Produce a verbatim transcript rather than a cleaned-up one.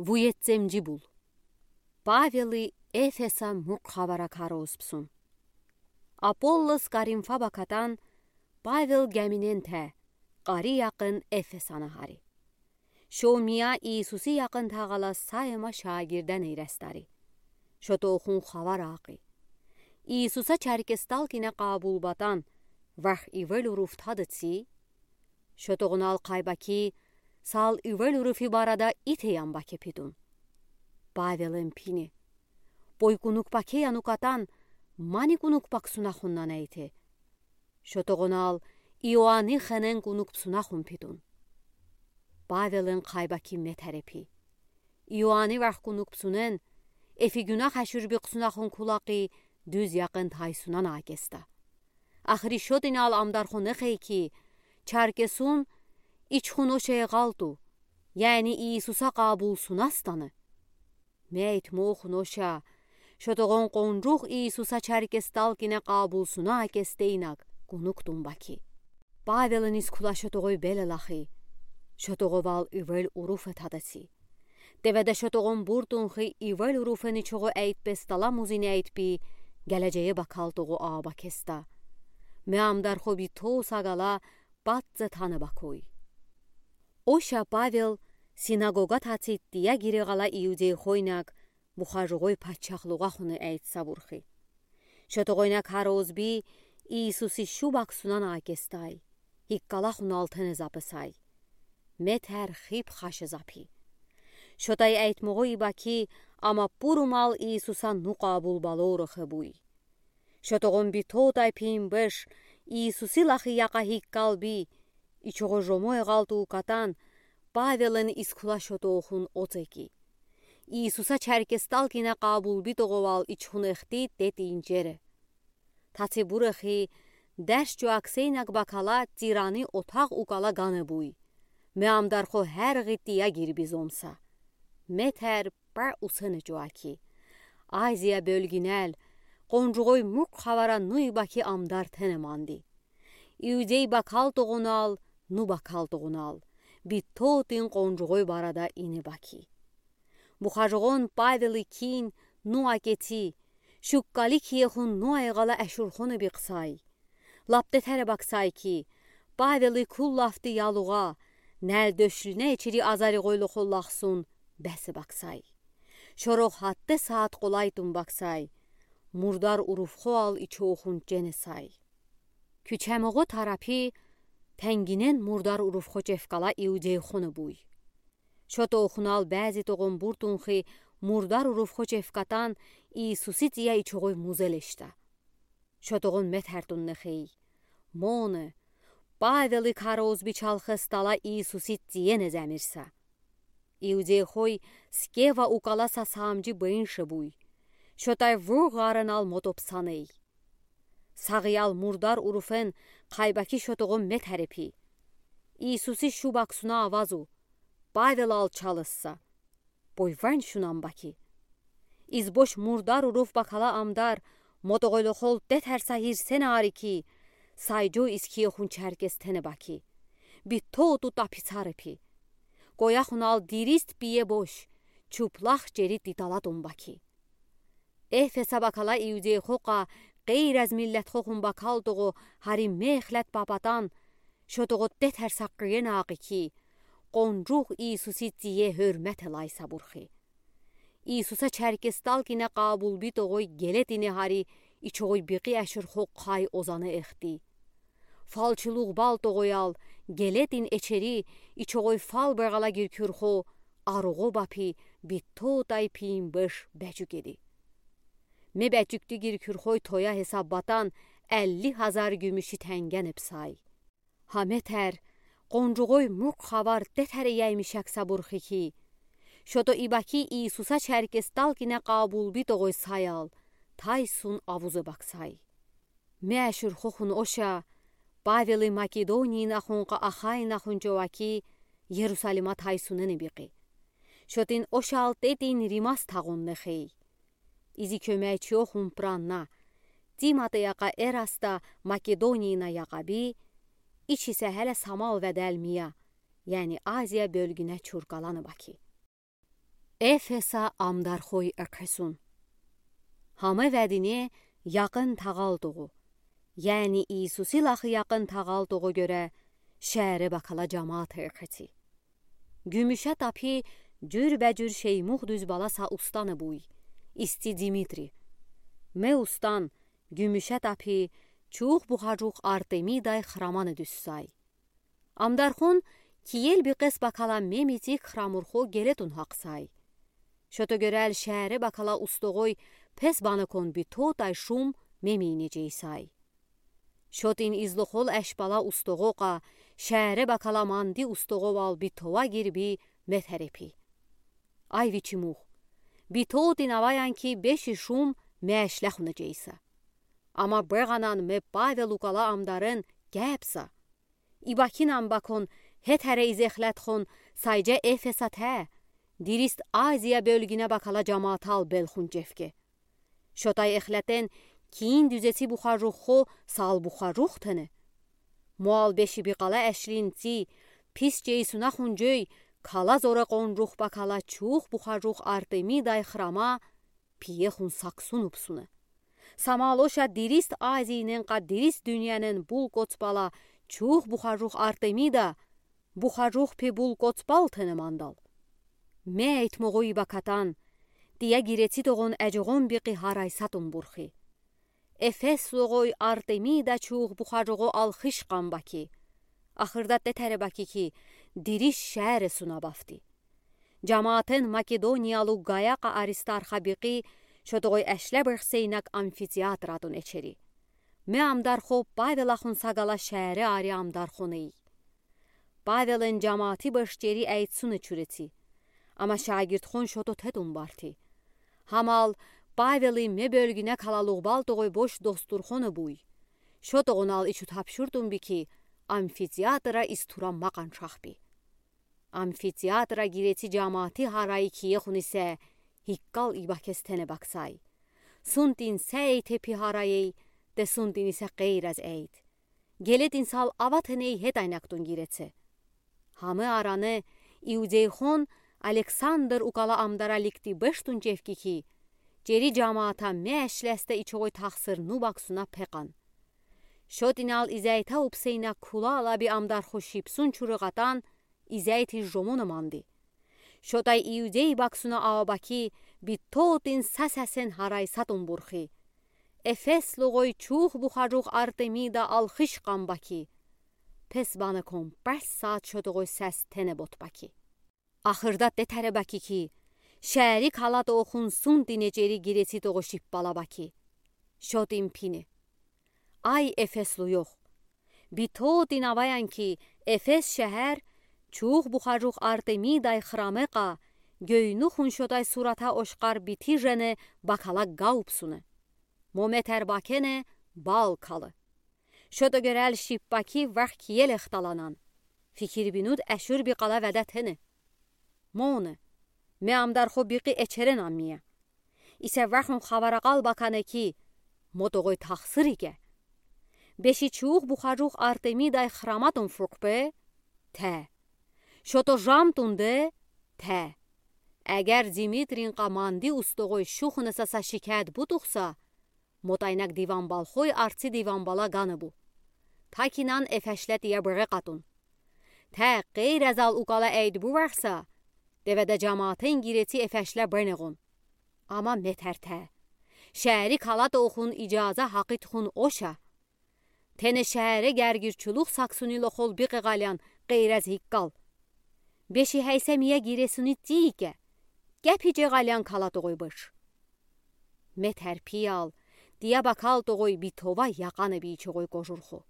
Вуетсемджи бул. Павелы Эфеса муркх хавара кароозбсун. Аполлос Коринфа бакатан, Павел геминен тэ, къари яхын Эфесана гьари. Шо мия Иисуси яхын тагала са ма шагирдэн эйресдари. Шо тохун хавар акъи. Иисуса черкестал кине къабулбатан, варх ивел урув тадыци? Шо тогунал къайбаки, сал ивел уруви барада ите ям бакепитун. Павелэн пини. Бой кунукпаке янукатан, мани кунукпак сунахуннан эйте. Шо тогунал Иоанни хэнэн кунукпсунахун питун. Павелэн къайбаки метэрепи. Иоанни варх кунукпсунэн, эфи гюнах ашурбиксунахун кулакъи дуз яхын тайсунан акеста. Ахри шо тинал амдархо нэхэй ки, черкесун ичхун ошай гъалту, яни Иисуса къабулсунастаны. Мейтмохун оша, шо тогун къонжух Иисуса черкестал кине къабулсуна акесте инаг кунуктун баки. Павелэн из кула шо тогой белелахи, шо тогу вал ивел урув тадыци. Теведе шо тогун буртунхи ивел урув ичугу эйтпестала музыни эйтпи, гележее бакал тогу аба кеста. Ме амдархо битоу сагала патцетана бакуй. Оша Павел синагога тацит тия гирегала иудейхойнаг бухажугой паччахлугахуны эйтса бурхи. Шо тогойнаг хароз би Иисуси шубаксунан акестай, иккалахунал тэне записай. Метэр хип хаше запи. Шо тай эйтмогой баки, ама пурумал Иисуса нука булбалорохэ буй. Шо тогун битоу тай пимбеш, Иисуси лахи яка иккал би, ичугу жомой гъалту катан, Павелэн из кула шо тогун оцеки. Иисуса черкестал кине къабул би тогу вал ичхун эхти тет инчере. Таци бурехи, дерш чуаксейнаг бакала тирани отах укала гана буй. Ме амдархо гьэр гъити я гирби зомса. Метэр па усэне чуаки. Азия бёлгинэл, къонжугой муркх хавара нуй баки амдар тэне манди. Иудей бакал тогунал, ну бакал тогунал, битоу тин къонжугой барада ине баки. Бухажугон Павелы кин, ну акети, шуккали киехун ну айгъала эшурхоны биксай. Лап тетере баксай ки, Павелы кул лафты ялуга, нэл дёшлюне ичери азари гъойлохол лахсун беси баксай. Шорох хатты саат къолайтун баксай. Мурдар урувхо ал ичохун ченесай. Кючемого тарапи тенгинен мурдар урувхо чевкала иудейхоны буй. Шо тогунал бязи тогун буртунхи мурдар урувхо чевкатан Иисуси тия ичугой музелешта. Шо тогун метэртун нэхей. Моны, Павелы кароз би чалхыстала Иисуси тиене зэмирса. Иудейхой Скева укала са самжи бэйнше буй. Шо тай вур гъарынал мотопсанэй. Сагъиял мурдар урувэн къайбаки шо тогун метэрепи. Иисуси шубаксуна авазу, Павел ал чалысса. Бой вань шунан баки. Из бош мурдар урув бакала амдар, мотогъойлохол тетерса ирсен ари ки, сайжо из киехун черкес тэне баки. Битоу ту тапицарепи. Гояхунал дирист пие бош, чуплах чери титалатун баки. Эфеса бакала иудейхо къа, гъейр аз миллетхохун бакал тогу гьари мехлет папатан, шо тогу тетерса къыена акъи ки, къонжух Иисуси тие гьёрмет элайса бурхи. Иисуса черкестал кине къабул би тогой геле тине гьари ичугой бикъи эшурхо къай озаны эхти. Фалчулугъ бал тогоял, геле тин эчери, ичугой фал бегъала гиркюрхо, аругъо бапи, битоу тай пимбеш бэчук эди. Ме бэчукди гиркюрхой тоя хесаббатан элли гьазар гюмюши тенген эпсай. Гьа метэр, къонжугъой муркх хавар тетере яймишакса бурхи ки. Шо то ибаки Иисуса черкестал кине къабул би тогой саял, тайсун авузе баксай. Ме эшурхохун оша, Павелы Македонияйнахун къа Ахайнахун човаки, Иерусалима тайсунэни бикъи. Шо тин ошал тетин Римас тагъун нэхей. Изи кёмечиохун пранна, Тиматея къа Эраста Македонияйна ягаби, ичисе гьеле самал ведел мия, яни Азия бёлгине чуркаланы баки. Эфеса амдархой экесун. Хамэ вадине яхын тағал тоғу, яни Иисуси лахы яхын тағал тоғу гёре, шаьре бакала жамаат экети. Гюмюше тапи жюрбе-жюр шеймух дуьзбала са устаны буй, исти Димитрий. Ме устан гюмюше тапи чуух бухарюх Артемидай храманы дуьзсай. Амдархон киел бикес бакала ме митик храмурхо гелетун хаксай. Шото гёрел шаьре бакала устоғой пес баныкон битотай шум ме мийнеджейсай. Шотин излохол эшбала устоғо ка, шаьре бакала манди устоғо вал битова гирби ме терепи. Ай вичи мух, битотин аваян ки беши шум ме эшле хунеджейса. Ама бегъанан ме Павел укала амдарен кепса. Ибакинан бакон, хетаре изехлетхон, сайже Эфеса тэ, дирист Азия бёлгине бакала жамаатал белхун чевке. Шотай эхлетен киин дуьзети бухарюххо сал бухарюх тэне. Моал беши бикала эшлин ци, пис чейсуна хунжой, кала зоре конрух бакала чуух бухарюх Артемидай храма пие хун саксунубсуна. Самалоша дирист Азийнен ка дирист дуьньянен бул коцбала чуух бухарюх Артемида, бухарюх пи бул коцбал тэне мандал. Ме айтмогой бакатан, тия гиреци тоғон эжогон бики харай сатун бурхи. Эфеслуғой Артемида чуух бухарюғо алхыш къан баки. Ахырда тетаре баки ки, дириш шаьре суна бафти. Жамаатен Македониялу Гаяка Аристарха бики, шотогой эшле бехсейнак амфитеатратун эчери. Ме амдархо Павел ахун сагала шаьре ари амдархон эй. Павелен жамаати беш чери эйтсуна чуреци. Ама шагирдхон шото тетун барти. Хамал Павели ме бёлгине калалуғбал тогой бош достурхона буй. Шотогонал ичу тапшуртун бики, амфитеатра истура макъан шахби. Амфитеатра гиреци жамаати харайи кие хунисе, хиккал ибакес тене баксай. Сунтин сей тепи харайей, те сунтин исе къейраз эйт. Гелетин сал аватеней хетайнактун гиреце. Хамы араны иудейхон Александр укала амдара ликти бештун чевки ки, чери жамаата ме эшлесте ичогой тахсыр нубаксуна пеқан. Шотинал изейта упсейна кула алаби амдархо шипсун чурығатан изейти жомона манди. Шотай иудей баксуна авабаки, битотин са сасен харай сатун бурхи. Эфеслуғой чух бухарух Артемида алхыш къан баки. Пес баныкон пас саат шотогой сас тене бот баки. Ахырда тетаре баки ки, шаьри калата охун сунтине чери гиреци тогой шиппала баки. Шотин пине. Ай Эфеслу йох. Битотин аваян ки, Эфес шаьр, чух бухарух Артемидай храме ка, гёйнухун шотай сурата ошкар бити жене бакала гаупсуна. Мо метер бакене бал калы. Шото гёрел шиппаки вах киелех таланан. Фикир бинуд эшур бикала ведетене. Моне. Ме амдархо бики эчерен амия. Исе вахун хаварагал бакане ки, мо тогой тахсыр ике. Беши чух бухарух Артемидай храматун фуркпе? Тэ. Шото жамтунде? Тэ. Эгер Димитрин ка манди устогой шухунаса са шикет бутухса, мотайнак диван балхой арци диван бала ганы бу. Такинан эфешле тия быре къатун. Тэ, къейрезал укала эйд бу вахса, деведе жамаатын гиреци эфешле бенегон. Ама метер тэ. Шаьри калата охун ижаза хакъит хун оша. Тене шаьре гергирчулух саксуни лохол бикъе галян къейрез хиккал. Беши хейсемия гиресуни тике. Гепи же галян калата огой быш. Метер пиял, тия бакал тогой битова яхана бийчогой кожурхо.